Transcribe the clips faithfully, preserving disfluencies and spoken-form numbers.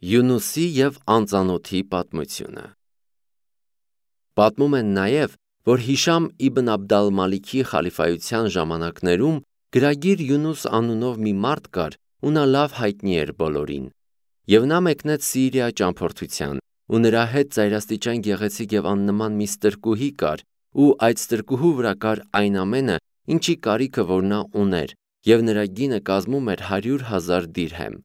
Յունուսի և անծանոթի պատմությունը։ Պատմում են նաև, որ Հիշամ իբն Աբդ ալ-Մալիքի խալիֆայության ժամանակներում գրագիր Յունուս անունով մի մարդ կար, ու նա լավ հայտնի էր բոլորին։ Եվ նա մեկնեց Սիրիա ճամփորդության, ու նրա հետ ծայրաստիճան գեղեցիկ և աննման մի ստրկուհի կար, ու այդ ստրկուհու վրա կար այն ամենը, ինչի կարիքը որ նա ուներ, և նրա գինը կազմում էր հարյուր հազար դիրհեմ։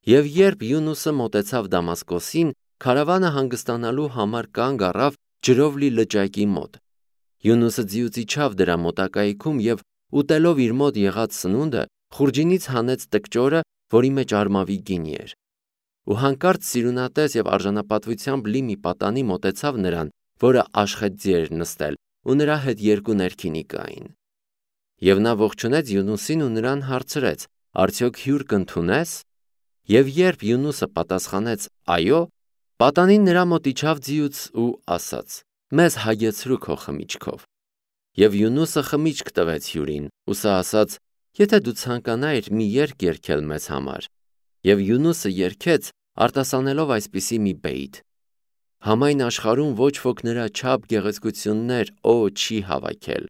Եվ երբ Յունուսը մոտեցավ Դամասկոսին, քարավանը հանգստանալու համար կանգ առավ ջրով լի լճակի մոտ։ Յունուսը ձիուց իջավ դրա մոտակայքում և ուտելով իր մոտ եղած սնունդը, խուրջինից հանեց տկճորը, որի մեջ արմավի գինի էր։ Ու հանկարծ սիրունատես և արժանապատվությամբ լի մի պատանի մոտեցավ նրան, որը աշխեթձի էր նստել, ու նրա հետ երկու ներքինի կային։ Եվ նա ողջունեց Յունուսին ու նրան հարցրեց. «Արդյոք հյուր կընդունե՞ս»։ Եվ երբ Յունուսը պատասխանեց. «Այո», պատանին նրա մոտ իջավ ձիուց ու ասաց. «Մեզ հագեցրու քո խմիչքով»։ Եվ Յունուսը խմիչք տվեց հյուրին, ու սա ասաց. «Եթե դու ցանկանայիր մի երգ երգել մեզ համար»։ Եվ Յունուսը երգեց, արտասանելով այսպիսի մի բեյթ. «Համայն աշխարհում ոչ ոք նրա չափ գեղեցկություններ օ չի հավաքել,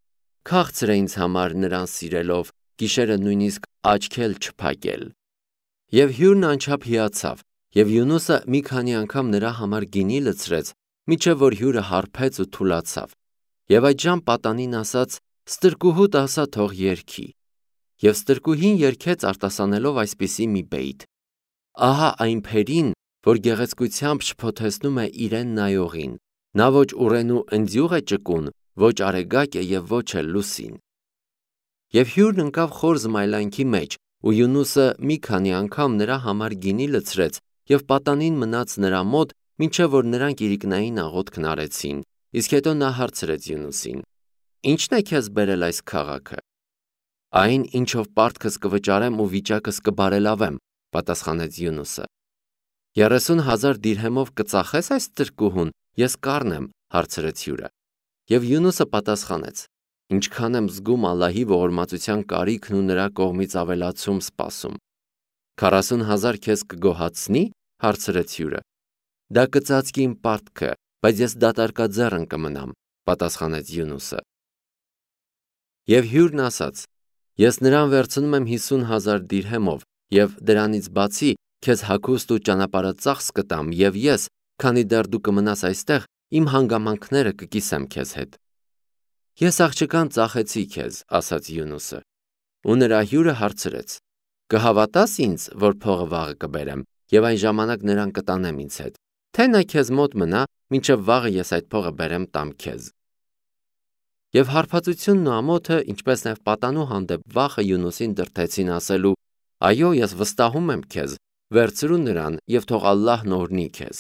քաղցր է ինձ համար նրան սիրելով, գիշերը նույնիսկ աչք էլ չփակել»։ Եվ հյուրն անչափ հիացավ, և Յունուսը մի քանի անգամ նրա համար գինի լցրեց, մինչև որ հյուրը հարբեց ու թուլացավ։ Եվ այդժամ պատանին ասաց. «Ստրկուհուդ ասա թող երգի»։ Եվ ստրկուհին երգեց արտասանելով այսպիսի մի բեյթ. «Ահա այն փերին, որ գեղեցկությամբ շփոթեցնում է իրեն նայողին, նա ոչ ուռենու ընձյուղ է ճկուն, ոչ արեգակ է և ոչ էլ լուսին»։ Եվ հյուրն ընկավ խոր զմայլանքի մեջ, ու Յունուսը մի քանի անգամ նրա համար գինի լցրեց և պատանին մնաց նրա մոտ, մինչև որ նրանք իրիկնային աղոթքն արեցին, իսկ հետո նա հարցրեց Յունուսին. «Ի՞նչն է քեզ բերել այս քաղաքը»։ «Այն, ինչով պարտքս կվճարեմ ու վիճակս կբարելավեմ», պատասխանեց Յունուսը։ «Երեսուն հազար դիրհեմով կծախե՞ս այս ստրկուհուն, ես կառնեմ», հարցրեց հյուրը։ Եվ Յունուսը պատասխանեց. «Ինչքան եմ զգում Ալլահի ողորմածության կարիքն ու նրա կողմից ավելացում սպասում»։ «Քառասուն հազար քեզ կգոհացնի՞, հարցրեց հյուրը։ «Դա կծածկի իմ պարտքը, բայց ես դատարկաձեռն կմնամ», պատասխանեց Յունուսը։ Եվ հյուրն ասաց. «Ես նրան վերցնում եմ հիսուն հազար դիրհեմով, և դրանից բացի քեզ հագուստ ու ճանապարհածախս կտամ, և ես, քանի դեռ դու կմնաս այստեղ, իմ հանգամանքները կկիսեմ քեզ հետ»։ «Ես աղջկան ծախեցի քեզ», ասաց Յունուսը։ Ու նրա հյուրը հարցրեց. «Կհավատա՞ս ինձ, որ փողը վաղը կբերեմ, և այն ժամանակ նրան կտանեմ ինձ հետ, թե նա քեզ մոտ մնա, մինչև վաղը ես այդ փողը բերեմ տամ քեզ»։ Եվ հարբածությունն ու ամոթը, ինչպես նաև պատանու հանդեպ վախը Յունուսին դրդեցին ասելու. «Այո, ես վստահում եմ քեզ, վերցրու նրան և թող Ալլահն օրհնի քեզ»։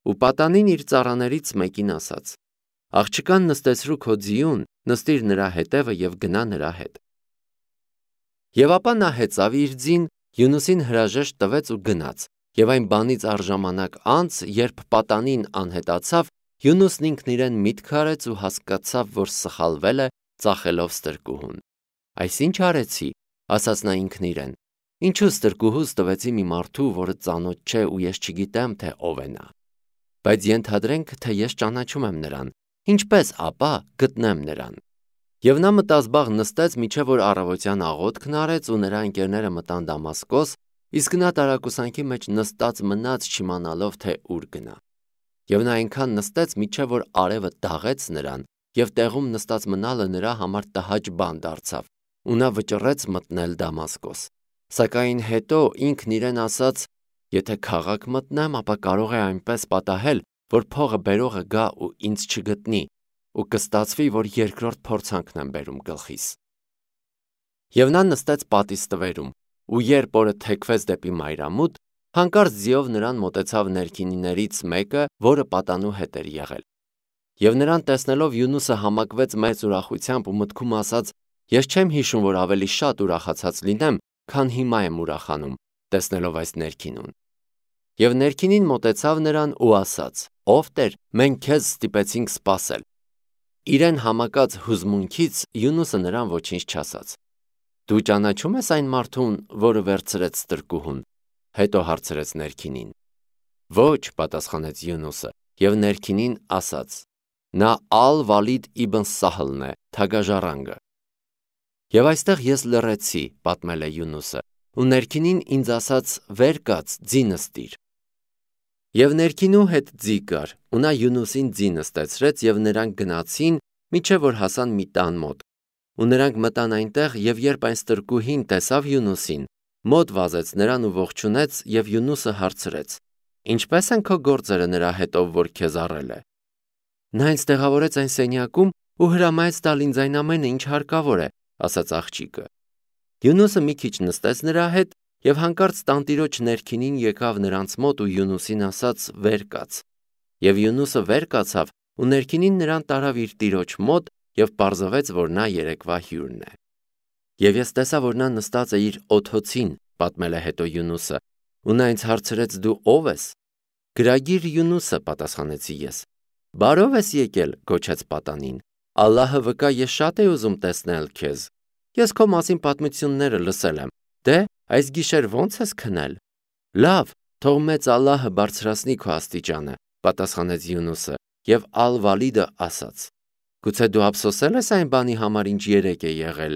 Ու պատանին իր ծառաներից մեկին ասաց. «Աղջկան նստեցրու քո ձիուն, նստիր նրա հետևը և գնա նրա հետ»։ Եվ ապա նա հեծավ իր ձին, Յունուսին հրաժեշտ տվեց ու գնաց, և այն բանից առ ժամանակ անց, երբ պատանին անհետացավ, Յունուսն ինքն իրեն միտք արեց ու հասկացավ, որ սխալվել է, ծախելով ստրկուհուն։ «Այս ի՞նչ արեցի», ասաց նա ինքն իրեն, «ինչու ստրկուհուս տվեցի մի մարդու, որը ծանոթ չէ ու ես չգիտեմ, թե ով է նա։ Բայց ենթադրենք, թե ես ճանաչում եմ նրան, ինչպե՞ս ապա գտնեմ նրան»։ Եվ նա մտազբաղ նստեց, մինչև որ առավոտյան աղոթքն արեց, ու նրա ընկերները մտան Դամասկոս, իսկ նա տարակուսանքի մեջ նստած մնաց, չիմանալով, թե ուր գնա։ Եվ նա այնքան նստեց, մինչև որ արևը դաղեց նրան, և տեղում նստած մնալը նրա համար տհաճ բան դարձավ, ու նա վճռեց մտնել Դամասկոս։ Սակայն հետո ինքն իրեն ասաց. «Եթե քաղաք մտնեմ, ապա կարող է այնպես պատահել, որ փողը բերողը գա ու ինձ չգտնի, ու կստացվի, որ երկրորդ փորձանքն եմ բերում գլխիս»։ Եվ նա նստեց պատի ստվերում, ու երբ օրը թեքվեց դեպի մայրամուտ, հանկարծ ձիով նրան մոտեցավ ներքինիներից մեկը, որը պատանու հետ էր եղել։ Եվ նրան տեսնելով Յունուսը համակվեց մեծ ուրախությամբ ու մտքում ասաց. «Ես չեմ հիշում, որ ավելի շատ ուրախացած լինեմ, քան հիմա եմ ուրախանում, տեսնելով այս ներքինուն»։ Եվ ներքինին մոտեցավ նրան ու ասաց. «Ով Տեր, մենք քեզ ստիպեցինք սպասել»։ Իրեն համակած հուզմունքից Յունուսը նրան ոչինչ չասաց։ «Դու ճանաչո՞ւմ ես այն մարդուն, որը վերցրեց ստրկուհուն»։ հետո հարցրեց ներքինին։ Ոչ, պատասխանեց Յունուսը, և ներքինին ասաց. նա Ալ-Վալիդ իբն Սահլն է, թագաժառանգը։ Եվ այստեղ ես լռեցի, պատմել է Յունուսը, ու ներքինին ինձ ասաց. վեր կաց, ձի նստիր։ Եվ ներքինու հետ ձի կար, ու նա Յունուսին ձի նստեցրեց, և նրանք գնացին, մինչև որ հասան մի տան մոտ։ Ու նրանք մտան այնտեղ, և երբ այն ստրկուհին տեսավ Յունուսին, մոտ վազեց նրան ու ողջունեց, և Յունուսը հարցրեց. ինչպե՞ս են քո գործերը նրա հետով, որ քեզ առել է։ Նա ինձ տեղավորեց այն սենյակում ու հրամայեց տալ ինձ այն ամենը, ինչ հարկավոր է, ասաց աղջիկը։ Յունուսը մի քիչ նստեց նրա հետ, և հանկարծ տանտիրոջ ներքինին եկավ նրանց մոտ ու Յունուսին ասաց. վեր կաց։ Եվ Յունուսը վեր կացավ, ու ներքինին նրան տարավ իր տիրոջ մոտ, և պարզվեց, որ նա երեկվա հյուրն է։ Եվ ես տեսա, որ նա նստած է իր օթոցին, պատմել է հետո Յունուսը, ու նա ինձ հարցրեց. դու ո՞վ ես։ Գրագիր Յունուսը, պատասխանեցի ես։ Բարով ես եկել, գոչեց պատանին։ Ալլահը վկա, ես շատ էի ուզում տեսնել քեզ։ Ես քո մասին պատմությունները լսել եմ։ Դե, այս գիշեր ո՞նց ես քնել։ Լավ, թող մեծ Ալլահը բարձրացնի քո աստիճանը, պատասխանեց Յունուսը, և Ալ-Վալիդը ասաց. գուցե դու ափսոսել ես այն բանի համար, ինչ երեկ է եղել։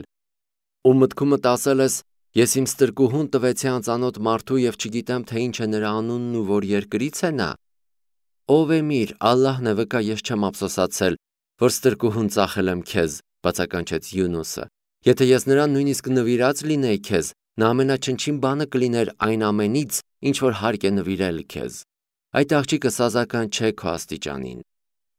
Ու մտքումդ ասել ես. ես իմ ստրկուհուն տվեցի անծանոթ մարդու և չգիտեմ, թե ինչ է նրա անունն ու որ երկրից է նա։ Ով Էմիր, Ալլահն է վկա, ես չեմ ափսոսացել, որ ստրկուհուն ծախել եմ քեզ, բացականչեց Յունուսը։ Եթե ես նրան նույնիսկ նվիրած լինեի քեզ, նա ամենաչնչին բանը կլիներ այն ամենից, ինչ որ հարկ է նվիրել քեզ։ Այդ աղջիկը սազական չէ քո աստիճանին։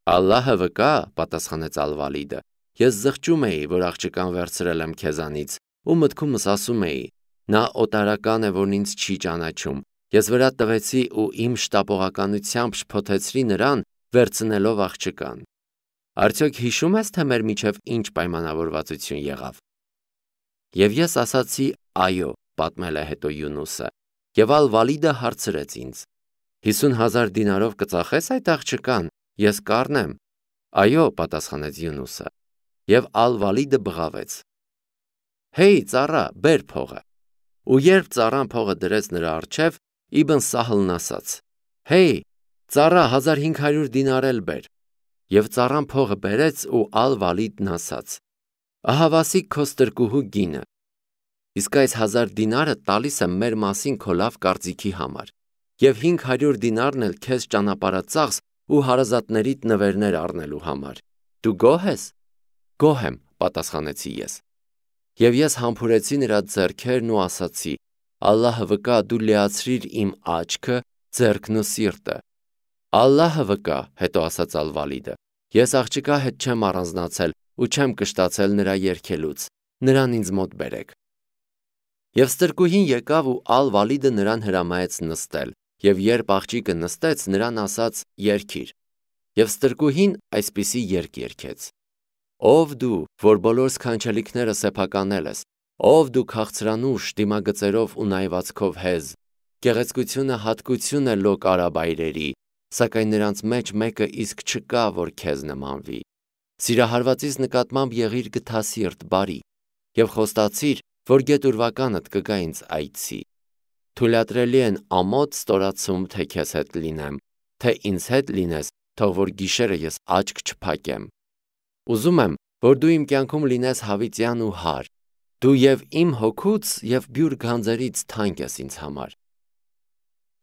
Ալլահը վկա, պատասխանեց Ալ-Վալիդը, ես զղջում էի, որ աղջկան վերցրել եմ քեզանից, ու մտքումս ասում էի. նա օտարական է, որն ինձ չի ճանաչում։ Ես վրա տվեցի ու իմ շտապողականությամբ շփոթեցրի նրան, վերցնելով աղջկան։ Արդյոք հիշում ես, թե մեր միջև ինչ պայմանավորվածություն եղավ։ Եվ ես ասացի. այո, պատմել է հետո Յունուսը, և Ալ-Վալիդը հարցրեց ինձ. հիսուն հազար դինարով կծախես այդ աղջկան, ես կառնեմ։ Այո, պատասխանեց Յունուսը, և Ալ-Վալիդը բղավեց. Հեյ, ծառա, բեր փողը։ Ու երբ ծառան փողը դրեց նրա առջև, Իբն Սահլն ասաց. Հեյ, ծառա, հազար հինգ հարյուր դինար էլ բեր։ Եվ ծառան փողը բերեց, ու Ալ-Վալիդն ասաց. ահավասիկ քո ստրկուհու գինը։ Իսկ այս հազար դինարը տալիս եմ մեր մասին քո լավ կարծիքի համար, և հինգ հարյուր դինարն էլ քեզ ճանապարհածախս ու հարազատներիդ նվերներ առնելու համար։ Դու գոհ ես։ Գոհ եմ, պատասխանեցի ես։ Եվ ես համբուրեցի նրա ձեռքերն ու ասացի. Ալլահը վկա, դու լիացրիր իմ աչքը, ձեռքն ու սիրտը։ Ալլահը վկա, հետո ասաց Ալ-Վալիդը, ես աղջկա հետ չեմ առանձնացել ու չեմ կշտացել նրա երգելուց, նրան ինձ մոտ բերեք։ Եվ ստրկուհին եկավ ու Ալ-Վալիդը նրան հրամայեց նստել, և երբ աղջիկը նստեց, նրան ասաց. երգիր։ Եվ ստրկուհին այսպիսի երգ երգեց. Ով դու, որ բոլոր սքանչելիքները սեփականել ես, ով դու քաղցրանուշ, դիմագծերով ու նայվածքով հեզ, գեղեցկությունը հատկություն է լոկ արաբայրերի, սակայն նրանց մեջ մեկը իսկ չկա, որ քեզ նմանվի։ Սիրահարվածից նկատմամբ եղիր գթասիրտ, բարի, և խոստացիր, որ գետուրվականդ կգա ինձ այցի։ Թույլատրելի են ամոթ ստորացում, թե քեզ հետ լինեմ, թե ինձ հետ լինես, թող որ գիշերը ես աչք չփակեմ։ Ուզում եմ, որ դու իմ կյանքում լինես հավիտյան ու հարթ, դու և իմ հոգուց և բյուր գանձերից թանկ ես ինձ համար։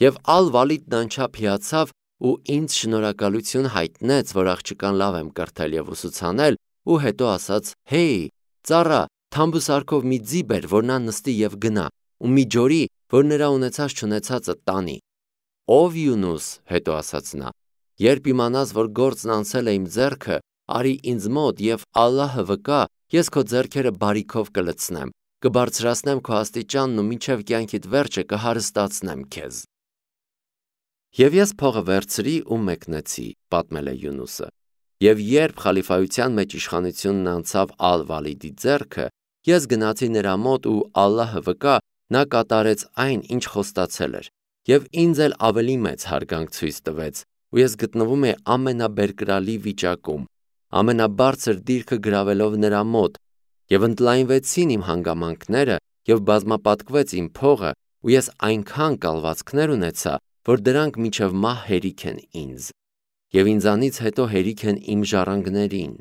Եվ Ալ-Վալիդն անչափ հիացավ ու ինձ շնորհակալություն հայտնեց, որ աղջկան լավ եմ կրթել և ուսուցանել, ու հետո ասաց. Հեյ, ծառա, թամբուսարքով մի ձի բեր, որ նա նստի և գնա, ու մի ջորի, որ նրա ունեցած չունեցածը տանի։ Ով Յունուս, հետո ասաց նա, երբ իմանաս, որ գործն անցել է իմ ձեռքը, արի ինձ մոտ, և Ալլահը վկա, ես քո ձեռքերը բարիքով կլցնեմ, կբարձրացնեմ քո աստիճանն ու մինչև կյանքիդ վերջը կհարստացնեմ քեզ։ Եվ ես փողը վերցրի ու մեկնեցի, պատմել է Յունուսը։ Եվ երբ խալիֆայության մեջ իշխանությունն անցավ Ալ-Վալիդի ձեռքը, ես գնացի նրա մոտ ու Ալլահը վկա, նա կատարեց այն, ինչ խոստացել էր, և ինձ էլ ավելի մեծ հարգանք ցույց տվեց, ու ես գտնվում էի ամենաբերկրալի վիճակում, ամենաբարձր դիրքը գրավելով նրա մոտ, և ընդլայնվեցին իմ հանգամանքները, և բազմապատկվեց իմ փողը, ու ես այնքան կալվածքներ ունեցա, որ դրանք մինչև մահ հերիք են ինձ, և ինձանից հետո հերիք են իմ ժառանգներին,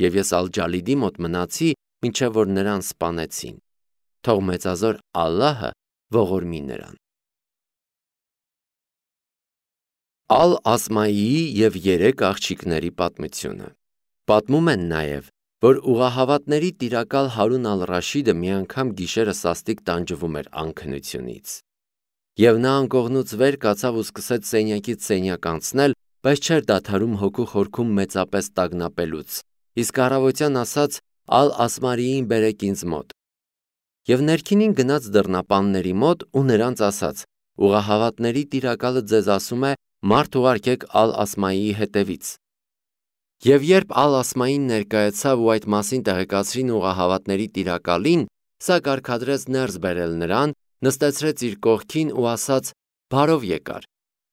և ես Ալ-Ջալիդի մոտ մնացի, մինչև որ նրան սպանեցին, թող մեծազոր Ալլահը ողորմի նրան։ Ալ-Ասմայիի և երեք աղջիկների պատմությունը։ Պատմում են նաև, որ ուղղահավատների տիրակալ Հարուն ալ-Ռաշիդը մի անգամ գիշերը սաստիկ տանջվում էր անքնությունից, և նա անկողնուց վեր կացավ ու սկսեց սենյակից սենյակ անցնել, բայց չէր դադարում հոգու խորքում մեծապես տագնապելուց, իսկ առավոտյան ասաց Ալ-Ասմայիին բերեք ինձ մոտ, և ներքինին գնաց դռնապանների մոտ ու նրանց ասաց. ուղղահավատների տիրակալը ձեզ ասում է մարդ ուղարկեք Ալ-Ասմայիի հետևից։ Եվ երբ Ալ-Ասմային ներկայացավ ու այդ մասին տեղեկացրին ուղղահավատների տիրակալին, սա կարգադրեց ներս բերել նրան, նստեցրեց իր կողքին ու ասաց. բարով եկար,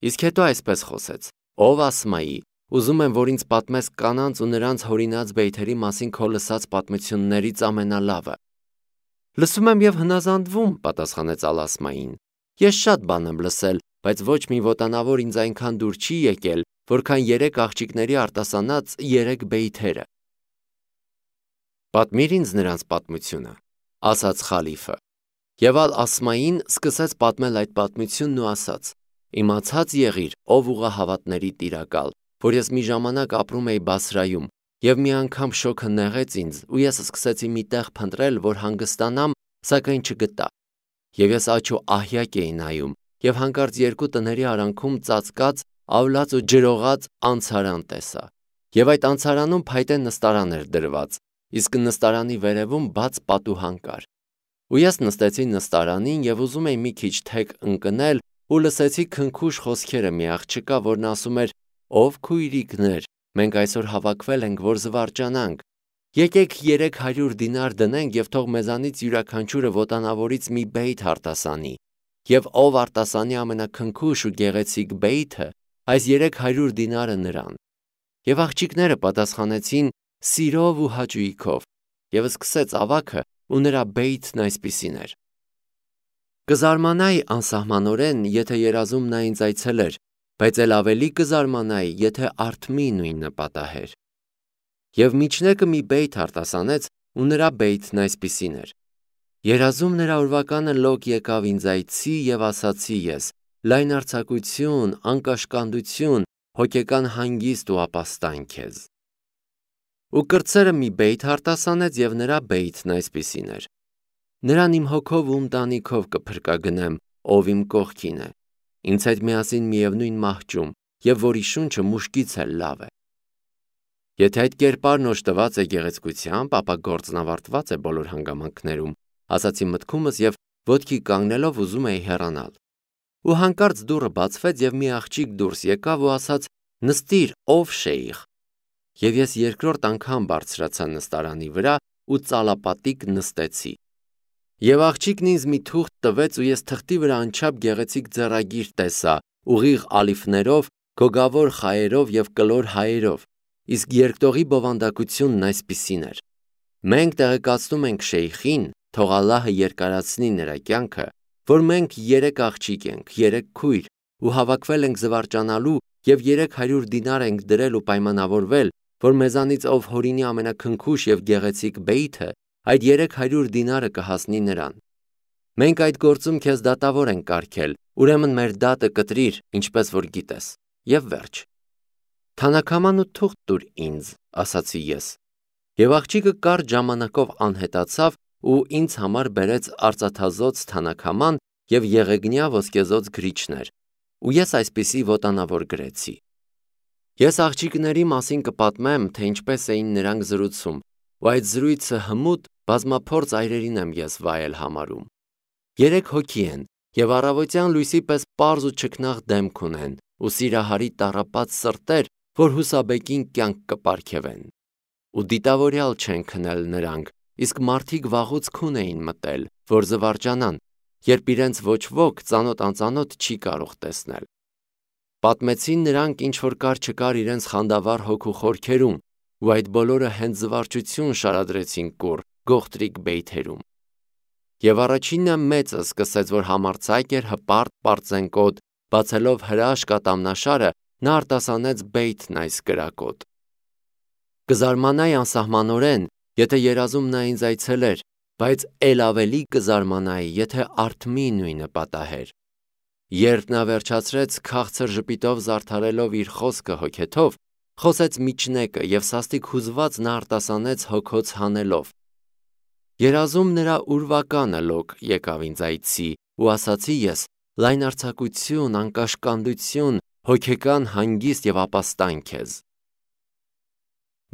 իսկ հետո այսպես խոսեց. ով Ասմայի, ուզում եմ, որ ինձ պատմես կանանց ու նրանց հորինած բեյթերի մասին քո լսած պատմություններից ամենալավը։ Լսում եմ և հնազանդվում, պատասխանեց Ալ-Ասմային, ես շատ բան եմ լսել, բայց ոչ մի ոտանավոր ինձ այնքան դուր չի եկել, որքան երեք աղջիկների արտասանած երեք բեյթերը։ Պատմիր ինձ նրանց պատմությունը, ասաց խալիֆը։ Եվ Ալ-Ասմային սկսեց պատմել այդ պատմությունն ու ասաց. իմացած եղիր, ով ուղղահավատների տիրակալ, որ ես մի ժամանակ ապրում էի Բասրայում, և մի անգամ շոգը նեղեց ինձ, ու ես սկսեցի մի տեղ փնտրել, որ հանգստանամ, սակայն չգտա։ Եվ ես աջ ու ահյակ էի նայում, և հանկարծ երկու տների արանքում ծածկած, ավլած ու ջրողած անցարան տեսա, և այդ անցարանում փայտե նստարան էր դրված, իսկ նստարանի վերևում բաց պատուհան կար։ Ու ես նստեցի նստարանին և ուզում էի մի քիչ թեք ընկնել ու լսեցի քնքուշ խոսքերը մի աղջկա, որն ասում էր. ով քույրիկներ, մենք այսօր հավաքվել ենք, որ զվարճանանք, եկեք երեք հարյուր դինար դնենք և թող մեզանից յուրաքանչյուրը ոտանավորից մի բեյթ արտասանի, և ով արտասանի ամենաքնքուշ ու գեղեցիկ բեյթը, այս երեք հարյուր դինարը նրան։ Եվ աղջիկները պատասխանեցին սիրով ու հաճույքով, և սկսեց ավագը, ու նրա բեյթն այսպիսին էր. Կզարմանայի անսահմանորեն, եթե երազում նա ինձ այցելեր, բայց էլ ավելի կզարմանայի, եթե արդմի նույնը պատահեր։ Եվ միջնեկը մի բեյթ արտասանեց, ու նրա բեյթն այսպիսին էր. երազում նրա օրվականը լոկ եկավ ինձ այցի, և ասացի ես. լայնարձակություն, անկաշկանդություն, հոգեկան հանգիստ ու ապաստան քեզ։ Ու կրտսերը մի բեյթ արտասանեց, և նրա բեյթն այսպիսին էր. նրան իմ հոգով ու ընտանիքով կփրկագնեմ, ով իմ կողքին է, ինձ հետ միասին միևնույն մահճում, և որի շունչը մուշկից էլ լավ է։ Եթե այդ կերպարն օժտված է գեղեցկությամբ, ապա գործն ավարտված է բոլոր հանգամանքներում, ասացի մտքումս և ոտքի կանգնելով ուզում էի հեռանալ։ Ու հանկարծ դուռը բացվեց, և մի աղջիկ դուրս եկավ ու ասաց. նստիր, ով շեյխ։ Եվ ես երկրորդ անգամ բարձրացա նստարանի վրա ու ծալապատիկ նստեցի։ Եվ աղջիկն ինձ մի թուղթ տվեց, ու ես թղթի վրա անչափ գեղեցիկ ձեռագիր տեսա, ուղիղ ալիֆներով, գոգավոր խայերով և կլոր հայերով, իսկ երկտողի բովանդակությունն այսպիսին էր. մենք տեղեկացնում ենք շեյխին, թող Ալլահը երկարացնի նրա կյանքը, որ մենք երեք աղջիկ ենք, երեք քույր, ու հավաքվել ենք զվարճանալու և երեք հարյուր դինար ենք դրել ու պայմանավորվել, որ մեզանից ով հորինի ամենաքնքուշ և գեղեցիկ բեյթը, այդ երեք հարյուր դինարը կհասնի նրան։ Մենք այդ գործում քեզ դատավոր ենք կարգել, ուրեմն մեր դատը կտրիր, ինչպես որ գիտես, և վերջ։ Թանաքաման ու թուղթ տուր ինձ, ասացի ես։ Եվ աղջիկը կարճ ժամանակով անհետացավ ու ինձ համար բերեց արծաթազօծ թանաքաման և եղեգնյա ոսկեզօծ գրիչներ, ու ես այսպիսի ոտանավոր գրեցի. Ես աղջիկների մասին կպատմեմ, թե ինչպես էին նրանք զրուցում, ու այդ զրույցը հմուտ, բազմափորձ այրերին եմ ես վայել համարում։ Երեք հոգի են, և առավոտյան լույսի պես պարզ ու չքնաղ դեմք ունեն, ու սիրահարի տառապած սրտեր, որ հուսաբեկին կյանք կպարգևեն։ Ու դիտավորյալ չեն քնել նրանք, իսկ մարդիկ վաղուց քուն էին մտել, որ զվարճանան, երբ իրենց ոչ ոք ծանոթ անծանոթ չի կարող տեսնել։ Պատմեցին նրանք, ինչ որ կար չկար իրենց խանդավառ հոգու խորքերում, ու այդ բոլորը հենց զվարճություն շարադրեցին կուռ, գողտրիկ բեյթերում։ Եվ առաջինը մեծը սկսեց, որ համարձակ էր, հպարտ, պարծենկոտ, բացելով հրաշք ատամնաշարը, նա արտասանեց բեյթն այս կրակոտ. Կզարմանայի անսահմանորեն, եթե երազում նա ինձ այցելեր, բայց էլ ավելի կզարմանայի, եթե արթմի նույնը պատահեր։ Երբ նա վերջացրեց քաղցր ժպիտով զարդարելով իր խոսքը հոգեթով, խոսեց միջնեկը և սաստիկ հուզված նա արտասանեց հոգոց հանելով. Երազում նրա ուրվականը լոկ եկավ ինձ այցի, ու ասացի ես. լայնարձակություն, անկաշկանդություն, հոգեկան հանգիստ և ապաստան քեզ։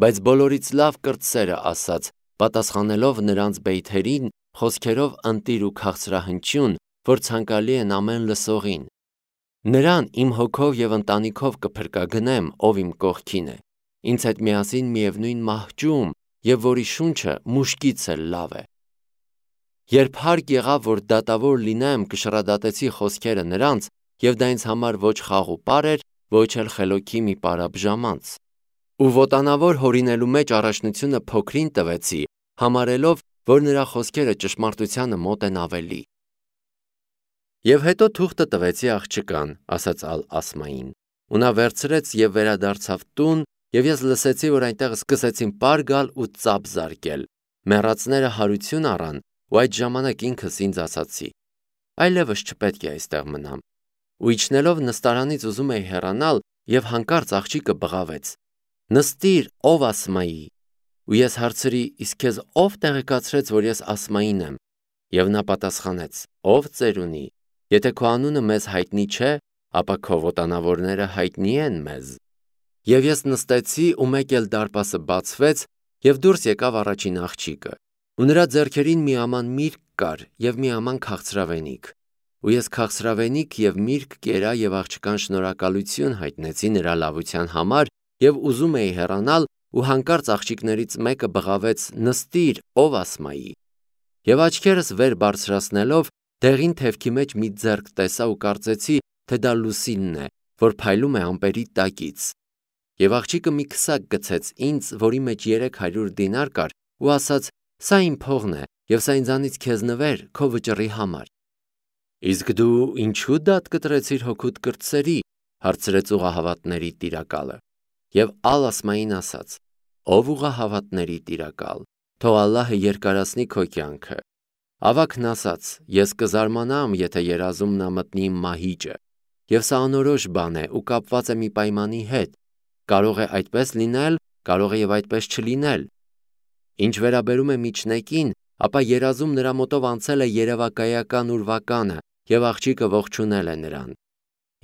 Բայց բոլորից լավ կրտսերը ասաց, պատասխանելով նրանց բեյթերին խոսքերով ընտիր ու քաղցրահնչյուն, որ ցանկալի են ամեն լսողին. Նրան իմ հոգով և ընտանիքով կփրկագնեմ, ով իմ կողքին է, ինձ հետ միասին միևնույն մահճում, և որի շունչը մուշկից էլ լավ է։ Երբ հարկ եղավ, որ դատավոր լինեմ, կշռադատեցի խոսքերը նրանց, և դա ինձ համար ոչ խաղուպար էր, ոչ էլ խելոքի մի պարապ ժամանց։ Ու ոտանավոր հորինելու մեջ առաջնությունը փոքրին տվեցի, համարելով, որ նրա խոսքերը ճշմարտությանը մոտ են ավելի։ Եվ հետո թուղթը տվեցի աղջկան, ասաց Ալ-Ասմային, ու նա վերցրեց և վերադարձավ տուն, և ես լսեցի, որ այնտեղ սկսեցին պար գալ ու ծափ զարկել, մեռածները հարություն առան, ու այդ ժամանակ ինքս ինձ ասացի. այլևս չպետք է այստեղ մնամ, ու իջնելով նստարանից ուզում էի հեռանալ, և հանկարծ աղջիկը բղավեց. նստիր, ով Ասմայի, ու ես հարցրի, իսկ քեզ ով տեղեկացրեց, որ ես Ասմային եմ, և նա պատասխանեց. ով ծերունի, եթե քո անունը մեզ հայտնի չէ, ապա քո ոտանավորները հայտնի են մեզ։ Եվ ես նստեցի, ու մեկ էլ դարպասը բացվեց, և դուրս եկավ առաջին աղջիկը, ու նրա ձեռքերին մի աման միրգ կար և մի աման քաղցրավենիք, ու ես քաղցրավենիք և միրգ կերա և աղջկան շնորհակալություն հայտնեցի նրա լավության համար և ուզում էի հեռանալ, ու հանկարծ աղջիկներից մեկը բղավեց. նստիր, ով Ասմայի, և աչքերս վեր բարձրացնելով, դեղին թևքի մեջ մի ձեռք տեսա ու կարծեցի, թե դա Լուսինն է, որ փայլում է ամպերի տակից։ Եվ աղջիկը մի քսակ գցեց ինձ, որի մեջ երեք հարյուր դինար կար, ու ասաց. սա իմ փողն է, և սա ինձանից քեզ նվեր քո վճռի համար։ Իսկ դու ինչու դատ կտրեցիր հոգուդ կրտսերի, հարցրեց ուղղահավատների տիրակալը։ Եվ Ալ-Ասմային ասաց. ով ուղղահավատների տիրակալ, թող Ալլահը երկարացնի քո կյանքը։ Ավագն ասաց. ես կզարմանամ, եթե երազում նա մտնի իմ մահիճը, և սա անորոշ բան է ու կապված է մի պայմանի հետ, կարող է այդպես լինել, կարող է և այդպես չլինել։ Ինչ վերաբերում է միջնեկին, ապա երազում նրա մոտով անցել է երևակայական ուրվականը, և աղջիկը ողջունել է նրան։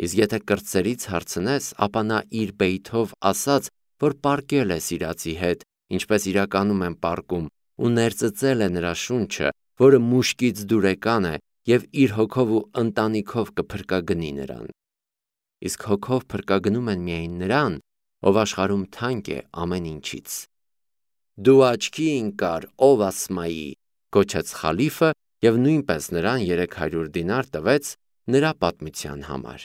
Իսկ եթե կրտսերից հարցնես, ապա նա իր բեյթով ասաց, որ պառկել է սիրածի հետ, ինչպես իրականում են պառկում, ու ներծծել է նրա շունչը, որը մուշկից դուրեկան է, և իր հոգով ու ընտանիքով կփրկագնի նրան։ Իսկ հոգով փրկագնում են միայն նրան, ով աշխարհում թանկ է ամեն ինչից։ Դու աչքի ընկար, ով Ասմայի, գոչեց խալիֆը, և նույնպես նրան երեք հարյուր դինար տվեց նրա պատմության համար։